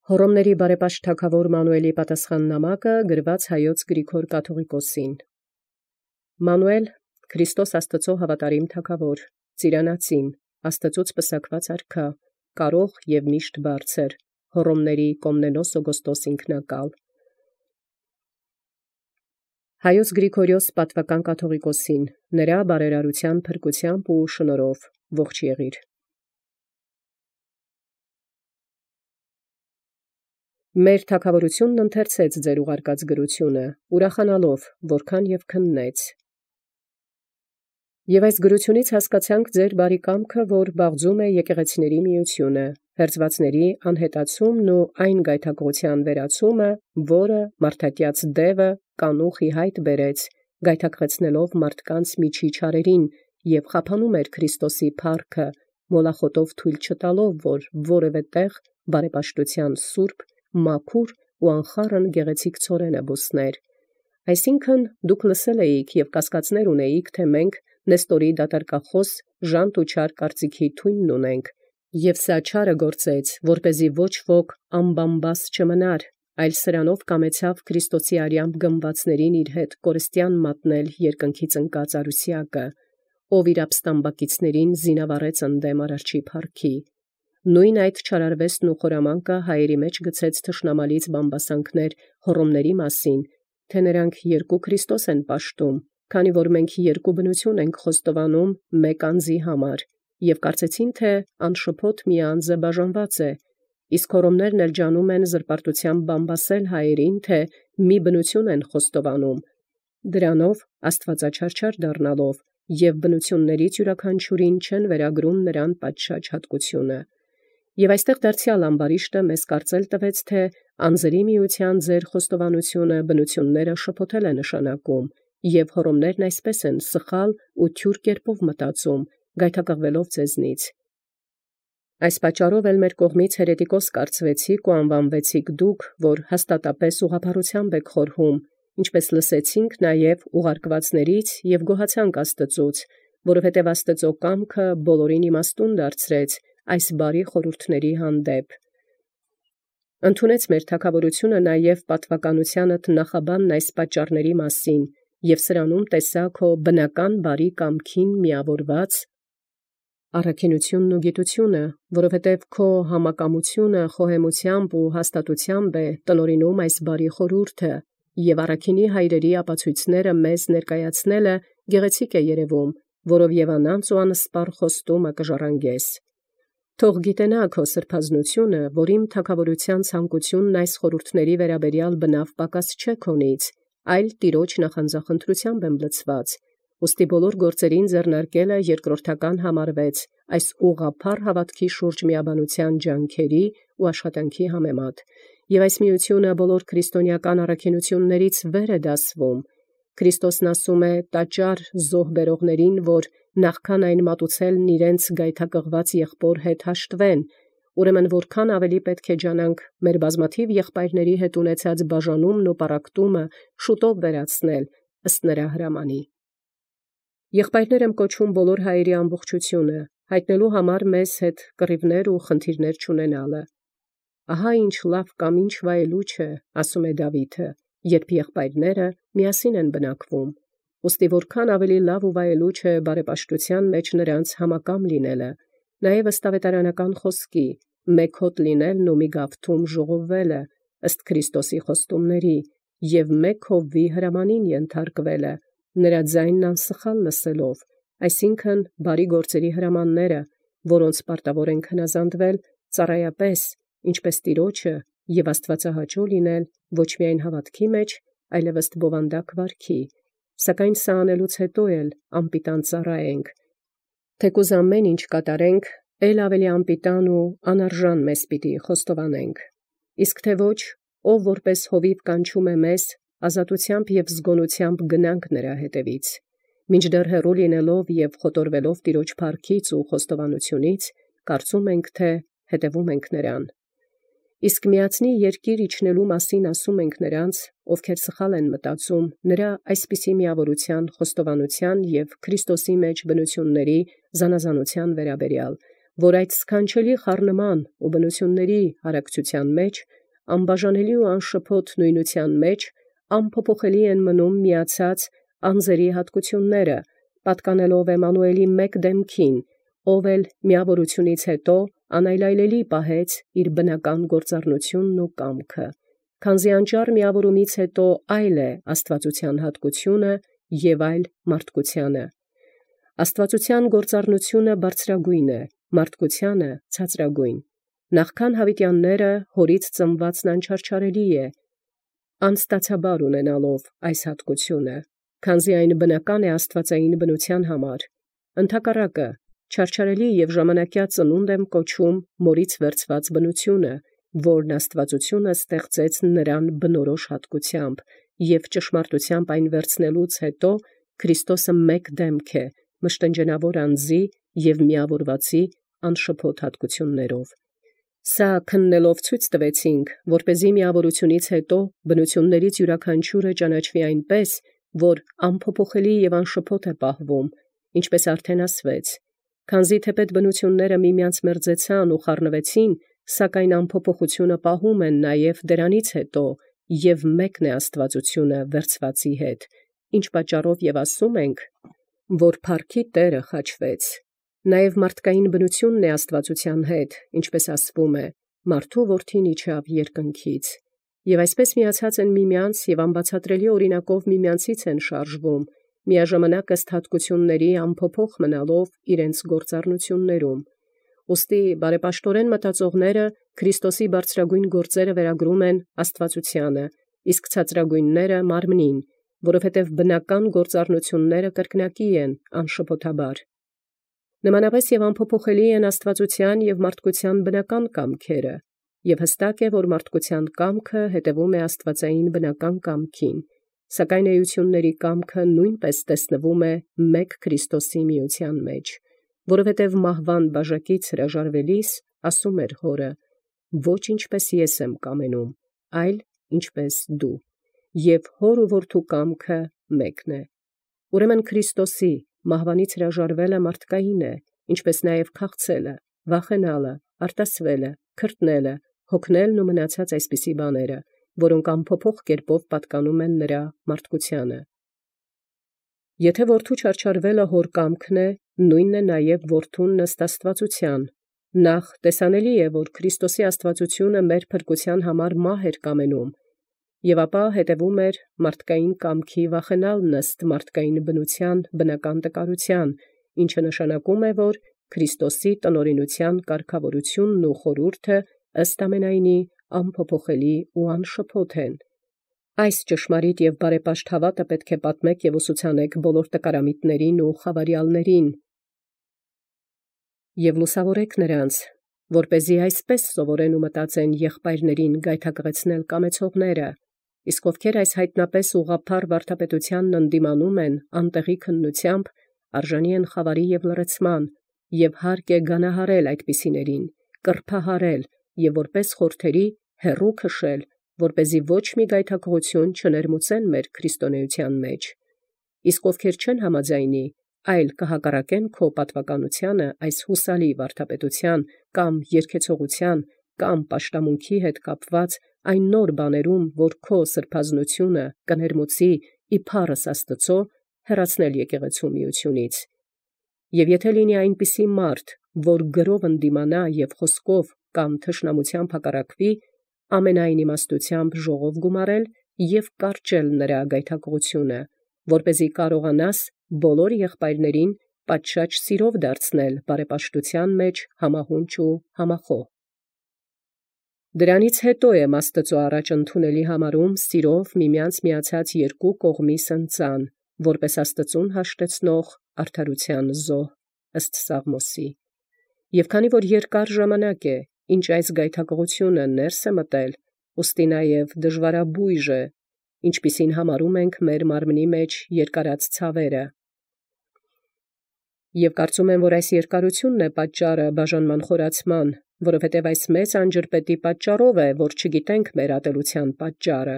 Հոռոմների բարեպաշտ թագաւոր Մանուէլի պատասխան նամակը գրված հայոց Գրիգոր կաթողիկոսին։ Մանուել, Քրիստոս Աստուծո հավատարիմ թագաւոր, ծիրանացին, Աստծուց պսակված արքա, կարող եւ միշտ բարձր, Հոռոմների Կոմնենոս Օգոստոս ինքնակալ։ Հայոց Գրիգորիոս պատվական կաթողիկոսին, նրա բարերարության փրկութեամբ ու շնորհով ողջ եղիր։ Մեր թագաւորութիւնն ընթերցեց ձեր ուղարկած գրութիւնը, ուրախանալով, որքան եւ քննեց։ Եւ այս գրութիւնից հասկացանք ձեր բարի կամքը, որ բաղձում է եկեղեցիների միությունը, հերձվածների անհետացումն ու այն գայթակղության վերացումը, որը մարդատյաց դևը կանուխ ի հայտ բերեց, գայթակղեցնելով մարդկանց միջի չարերին եւ խափանում էր Քրիստոսի փառքը, մոլախոտով թույլ չտալով, որ որևէ տեղ բարեպաշտութեան սուրբ, մաքուր ու անխառն գեղեցիկ ցորենը բուսներ։ Այսինքն դուք լսել էիք եւ կասկածներ ունեիք, թե մենք Նեստորի դատարկախոս ժանտ ու չար կարծիքի թույնն ունենք, եւ սա չարը գործեց, որպեսզի ոչ ոք ամբամբաս չմնար, այլ սրանով կամեցավ Քրիստոսի արյամբ գմվածներին իր հետ կորստյան մատնել երկնքից ընկած արուսյակը, ով իր ապստամբակիցներին զինավառեց ընդդեմ արարչի փառքի։ Նույն այդ չարարվեստն ու խորամանկը հայերի մեջ գցեց թշնամալից բամբասանքներ Հոռոմների մասին, թե նրանք երկու Քրիստոս են պաշտում, քանի որ մենք երկու բնություն ենք խոստովանում մեկ անձի համար, եւ կարծեցին, թե անշփոթ մի անձը բաժանված է, իսկ Հոռոմներն էլ ջանում են զրպարտությամբ բամբասել հայերին, թե մի բնություն են խոստովանում, դրանով աստվածաչարչար դառնալով եւ բնություններից յուրաքանչյուրին չեն վերագրում նրան պատշաճ հատկությունը։ Եւ այստեղ դարձյալ ամբարիշտը մեզ կարծել տվեց, թե անձերի միության ձեր խոստովանությունը բնությունները շփոթել է նշանակում, եւ Հոռոմներն այսպես են սխալ ու թյուր կերպով մտածում, գայթակղվելով ձեզնից։ Այս պատճառով էլ մեր կողմից հերետիկոս կարծվեցիք ու անվանվեցիք դուք, որ հաստատապես ուղղափառութեամբ եք խորհում, ինչպես լսեցինք նաև ուղարկվածներից եւ գոհացանք Աստծուց, որովհետև Աստծո կամքը բոլորին իմաստուն դարձրեց այս բարի խորհուրդների հանդեպ։ Ընդունեց մեր թագաւորությունը նաև պատվականությանդ նախաբանն այս պատճառների մասին, եւ սրանում տեսա քո բնական բարի կամքին միավորված առաքինութիւնն ու գիտությունը, որովհետև քո համակամությունը խոհեմությամբ ու հաստատութեամբ է տնօրինում այս բարի խորհուրդը, եւ առաքինի հայրերի ապացույցները մեզ ներկայացնելը գեղեցիկ է երևում, որով եւ անանց ու անսպառ խոստումը կժառանգես։ Թող գիտենա քո սրբազնությունը, որ իմ թագաւորութեան ցանկությունն այս խորհուրդների վերաբերյալ բնավ պակաս չէ քոնից, այլ տիրոջ նախանձախնդրութեամբ եմ լցված, ուստի բոլոր գործերին ձեռնարկելը երկրորդական համարվեց այս ուղղափառ հավատքի շուրջ միաբանության ջանքերի ու աշխատանքի համեմատ, եւ այս միությունը բոլոր քրիստոնեական առաքինություններից վեր է դասվում։ Քրիստոսն ասում է տաճար զոհ բերողներին, որ նախքան այն մատուցելն իրենց գայթակղված եղբոր հետ հաշտվեն, ուրեմն որքան ավելի պետք է ջանանք մեր բազմաթիվ եղբայրների հետ ունեցած բաժանումն ու պառակտումը շուտով վերացնել ըստ նրա հրամանի։ Եղբայրներ եմ կոչում բոլոր հայերի ամբողջությունը, հայտնելու համար մեզ հետ կռիվներ ու խնդիրներ չունենալը։ Ահա ինչ լավ կամ ինչ վայելուչ է, ասում է Դավիթը, երբ եղբայրները միասին են բնակվում։ Ուստի որքան ավելի լավ ու վայելուչ է բարեպաշտության մեջ նրանց համակամ լինելը, նաև ըստ ավետարանական խոսքի, մեկ հոտ լինելն ու մի գավթում ժողովվելը, ըստ Քրիստոսի խոստումների, եւ մեկ հովվի հրամանին ենթարկվելը, նրա ձայնն անսխալ լսելով, այսինքն բարի գործերի հրամանները, որոնց պարտավոր ենք հնազանդվել ծառայապես, ինչպես Տիրոջը, եւ աստվածահաճո լինել ոչ միայն հավատքի մեջ, այլև ըստ բովանդակ վարքի, սակայն սա անելուց հետո էլ անպիտան ծառայենք, թեկուզ ամեն ինչ կատարենք, ել ավելի անպիտան ու անարժան մեզ պիտի խոստովանենք, իսկ թե ոչ, ով որպես հովիվ կանչում է մեզ, ազատությամբ եւ զգոնությամբ գնանք նրա հետևից, մինչդեռ հեռու լինելով եւ խոտորվելով Տիրոջ փառքից ու խոստովանությունից, կարծում ենք, թե հետևում ենք նրան։ Իսկ միացնի երկիր իջնելու մասին ասում ենք նրանց, ովքեր սխալ են մտածում, նրա այսպիսի միավորության, խոստովանության եւ Քրիստոսի մեջ բնությունների զանազանության վերաբերյալ, որ այդ սքանչելի խառնման ու բնությունների հարակցության մեջ անբաժանելի ու անշփոթ նույնության մեջ անփոփոխելի են մնում միացած անձերի հատկությունները, պատկանելով Էմմանուելի մեկ դեմքին, ով էլ միավորությունից հետո անայլայլելի պահեց իր բնական գործառնությունն ու կամքը, քանզի անճար միավորումից հետո այլ է աստվածության հատկությունը և այլ մարդկությանը։ Աստվածության գործառնությունը բարձրագույն է, մարդկությանը ցածրագույն։ Նախքան յաւիտեանները հորից ծնուածն անչարչարելի է, անստացաբար ունենալով այս հատկությունը, քանզի այն բնական է աստվածային բնության համար։ Ընդհակառակը, չարչարելի և ժամանակյա ծնունդ եմ կոչում մորից վերցված բնությունը, որն աստվածությունը ստեղծեց նրան բնորոշ հատկությամբ, և ճշմարտությամբ այն վերցնելուց հետո Քրիստոսը մեկ դեմք է, մշտնջենավոր անձի և միավորվածի անշփոթ հատկություններով։ Սա քննելով ցույց տվեցինք, որպեսզի միավորությունից հետո բնություններից յուրաքանչյուրը ճանաչվի այնպես, որ անփոփոխելի և անշփոթ է պահվում, ինչպես արդեն ասվեց, քանզի թեպետ բնությունները միմյանց մերձեցան ու խառնվեցին, սակայն անփոփոխությունը պահում են նաև դրանից հետո, և մեկն է աստվածությունը վերցվածի հետ, ինչ պատճառով և ասում ենք, որ փառքի Տերը խաչվեց։ Նաև մարդկային բնությունն է աստվածության հետ, ինչպես ասվում է, մարդու որդին իջավ երկնքից, և այսպես միացած են միմյանց և անբացատրելի օրինակով միմյանցից են շարժվում, միաժամանակ ըստ հատկությունների անփոփոխ մնալով իրենց գործառնություններում։ Ուստի բարեպաշտորեն մտածողները Քրիստոսի բարձրագույն գործերը վերագրում են աստվածությանը, իսկ ցածրագույնները մարմնին, որովհետև բնական գործառնությունները կրկնակի են անշփոթաբար։ Նմանապես և անփոփոխելի են աստվածության և մարդկության բնական կամքերը, և հստակ է, որ մարդկության կամքը հետևում է աստվածային բնական կամքին, սակայն էությունների կամքը նույնպես տեսնվում է մեկ Քրիստոսի միության մեջ, որովհետև մահվան բաժակից հրաժարվելիս ասում էր հորը. «Ոչ ինչպես ես եմ կամենում, այլ ինչպես դու», և հոր ու որդու կամքը մեկն է։ Ուրեմն Քրիստոսի մահվանից հրաժարվելը մարդկային է, ինչպես նաև քաղցելը, վախենալը, արտասվելը, քրտնելը, հոգնելն ու մնացած այսպիսի բաները, որոնք անփոփոխ կերպով պատկանում են նրա մարդկությանը։ Եթե որդու չարչարվելը հոր կամքն է, նույնն է նաև որդուն ըստ աստվածության։ Նախ տեսանելի է, որ Քրիստոսի աստվածությունը մեր փրկության համար մահ էր կամենում, և ապա հետևում էր մարդկային կամքի վախենալն ըստ մարդկային բնության բնական տկարության, ինչը նշանակում է, որ Քրիստոսի տնօրինության կարգավորությունն ու խորհուրդը ըստ ամենայնի անփոփոխելի ու անշփոթ են։ Այս ճշմարիտ և բարեպաշտ հաւատը պետք է պատմեք և ուսուցանեք բոլոր տկարամիտներին ու խավարյալներին և լուսավորեք նրանց, որպեսզի այսպես սովորեն ու մտածեն եղբայրներին գայթակղեցնել կամեցողները, իսկ ովքեր այս հայտնապես ուղղափառ վարդապետությանն ընդդիմանում են անտեղի քննությամբ, արժանի են խավարի և լռեցման, և հարկ է գանահարել այդպիսիներին, կրբահարել և որպես խորթերի հեռու քշել, որպեսզի ոչ մի գայթակղություն չներմուծեն մեր քրիստոնեության մեջ։ Իսկ ովքեր չեն համաձայնի, այլ կհակառակեն քո պատվականությանը այս հուսալի վարդապետության կամ երգեցողության կամ պաշտամունքի հետ կապված այն նոր բաներում, որ քո սրբազնությունը կներմուծի իբարս Աստծո, հեռացնել եկեղեցու միությունից։ Եվ եթե լինի այնպիսի մարդ, որ գրով ընդդիմանա և խոսքով կամ թշնամությամբ հակառակվի, ամենայն իմաստությամբ ժողով գումարել և կարճել նրա գայթակղությունը, որպեսզի կարողանաս բոլոր եղբայրներին պատշաճ սիրով դարձնել բարեպաշտության մեջ համահունչ ու համախոհ։ Դրանից հետո եմ Աստծո առաջ ընդունելի համարում սիրով միմյանց միացած երկու կողմի սնծան, որպես Աստծուն հաշտեցնող արդարության զոհ, ըստ Սաղմոսի։ Եվ քանի որ երկար ժամանակ է, ինչ այս գայթակղությունը ներս է մտել, ուստի նաև դժվարաբույժ է, ինչպիսին համարում ենք մեր մարմնի մեջ երկարած ցավերը։ Եվ կարծում եմ, որ այս երկարությունն է պատճառը բաժանման խորացման, որովհետև այս մեծ անջրպետի պատճառով է, որ չգիտենք մեր ատելության պատճառը,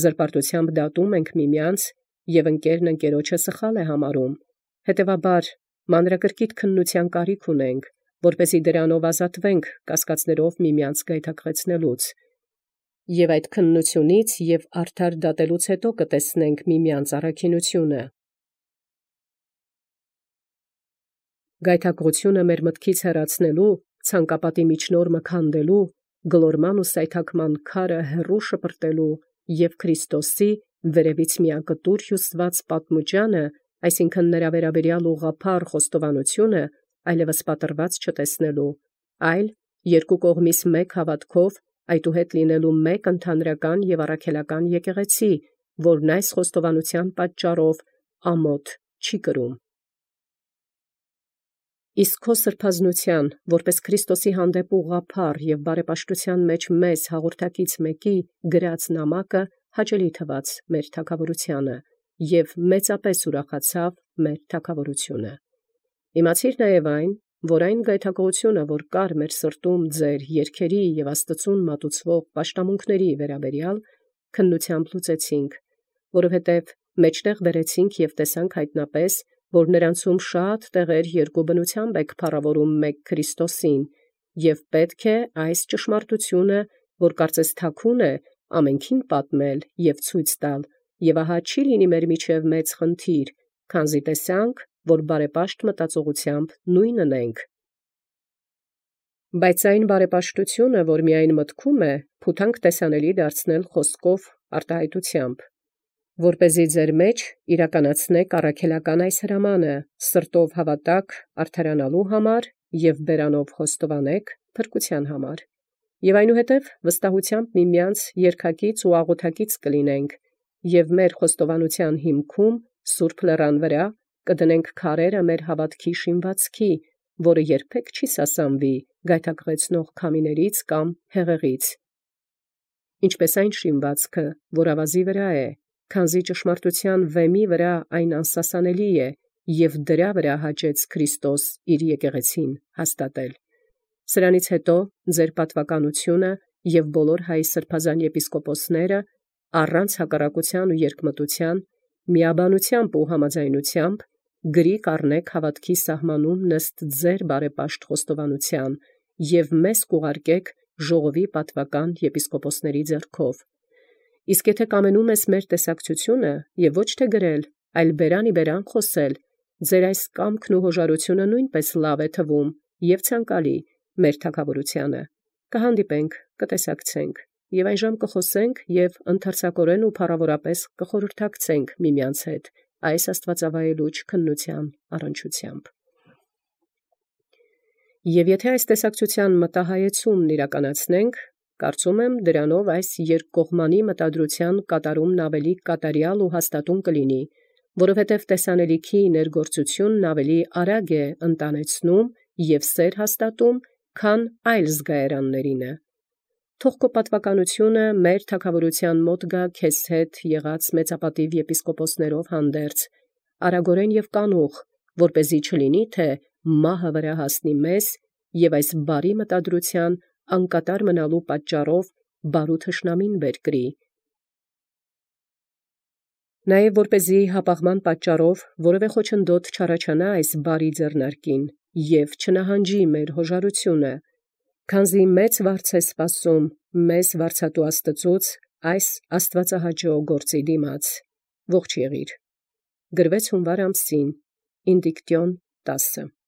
զրպարտությամբ դատում ենք միմյանց, և ընկերն ընկերոջը սխալ է համարում։ Հետևաբար մանրակրկիտ քննության կարիք ունենք, որպեսզի դրանով ազատվենք կասկածներով միմյանց գայթակղեցնելուց։ Եւ այդ քննությունից եւ արդար դատելուց հետո կտեսնենք միմյանց առաքինությունը։ Գայթակղությունը մեր մտքից հեռացնելու, ցանկապատի միջնորմը քանդելու, գլորման ու սայթաքման քարը հեռու շպրտելու եւ Քրիստոսի վերևից միակտուր հյուսված պատմուճանը, այսինքն նրա վերաբերյալ ուղղափառ խոստովանությունը, այլևս պատրված չտեսնելու, այլ երկու կողմից մեկ հավատքով, այդուհետ լինելու մեկ ընդհանրական եւ առաքելական եկեղեցի, որն այս խոստովանության պատճառով ամոթ չի կրում։ Իսկ քո սրբազնության, որպես Քրիստոսի հանդեպ ուղղափառ եւ բարեպաշտության մեջ մեզ հաղորդակից մեկի գրած նամակը հաճելի թվաց մեր թագավորությանը եւ մեծապես ուրախացավ մեր թագավորությունը։ Իմացիր նաեւ այն, որ այն գայթակղությունը, որ կար մեր սրտում ձեր երգերի եւ Աստծուն մատուցվող պաշտամունքների վերաբերյալ, քննությամբ լուծեցինք, որովհետեւ մեջտեղ բերեցինք եւ տեսանք հայտնապես, որ նրանցում շատ տեղեր երկու բնությամբ եք փառավորում մեկ Քրիստոսին, եւ պետք է այս ճշմարտությունը, որ կարծես թաքուն է, ամենքին պատմել եւ ցույց տալ, եւ ահա չի լինի մեր միջև մեծ խնդիր, քանզի տեսանք, որ բարեպաշտ մտածողությամբ նույնն ունենք։ Բայց այն բարեպաշտությունը, որ միայն մտքում է, փութանք տեսանելի դարձնել խոսքով արտահայտությամբ, որպեսզի ձեր մեջ իրականացնեք առաքելական այս հրամանը, սրտով հավատաք արդարանալու համար եւ բերանով խոստովանեք փրկության համար։ Եւ այնուհետև վստահությամբ միմյանց երկակից ու աղոթակից կլինենք, եւ մեր խոստովանության հիմքում սուրբ լեռան վրա կդնենք քարերը մեր հավատքի շինվածքի, որը երբեք չի սասանվի գայթակղեցնող քամիներից կամ հեղեղից։ Ինչպես այն շինվածքը, որ ավազի վրա է, քանզի ճշմարտության վեմի վրա այն անսասանելի է, եւ դրա վրա հաճեց Քրիստոս իր եկեղեցին հաստատել։ Սրանից հետո ձեր պատվականությունը եւ բոլոր հայ սրբազան եպիսկոպոսները առանց հակառակության ու երկմտության, միաբանությամբ ու համաձայնությամբ գրի կառնեք հավատքի սահմանում նստ ձեր բարեպաշտ խոստովանության եւ մեզ կուղարկեք ժողովի պատվական եպիսկոպոսների ձեռքով։ Իսկ եթե կամենում ես մեր տեսակցությունը եւ ոչ թե գրել, այլ բերանի բերան խոսել, ձեր այս կամքն ու հոժարությունը նույնպես լավ է թվում եւ ցանկալի մեր թագավորությանը։ Կհանդիպենք, կտեսակցենք եւ այժմ կխոսենք եւ ընթերցակորեն ու փառավորապես կխորհրդակցենք միմյանց հետ այս աստվածավայելուչ քննության առնչությամբ։ Եվ եթե այս տեսակցության մտահայեցումն իրականացնենք, կարծում եմ դրանով այս երկկողմանի մտադրության կատարումն ավելի կատարյալ ու հաստատուն կլինի, որովհետև տեսանելիքի ներգործությունն ավելի արագ է ընտանեցնում եւ սեր հաստատում, քան այլ զգայարաններինը։ Թող քո պատվականությունը մեր թագավորության մոտ գա քեզ հետ եղած մեծապատիվ եպիսկոպոսներով հանդերձ, արագորեն եւ կանուխ, որպեսզի չլինի թե մահը վրա հասնի մեզ եւ այս բարի մտադրության անկատար մնալու պատճառով բարու թշնամին բեր կրի։ Նաեւ որպեսզի հապաղման պատճառով որևէ խոչընդոտ չառաջանա այս բարի ձեռնարկին եւ չնահանջի մեր հոժարությունը, քանզի մեծ վարձ է սպասում մեզ վարձատու Աստծուց այս աստվածահաճո գործի դիմաց։ Ողջ եղիր։ Գրվեց հունվար ամսին, Ինդիկտիոն 10։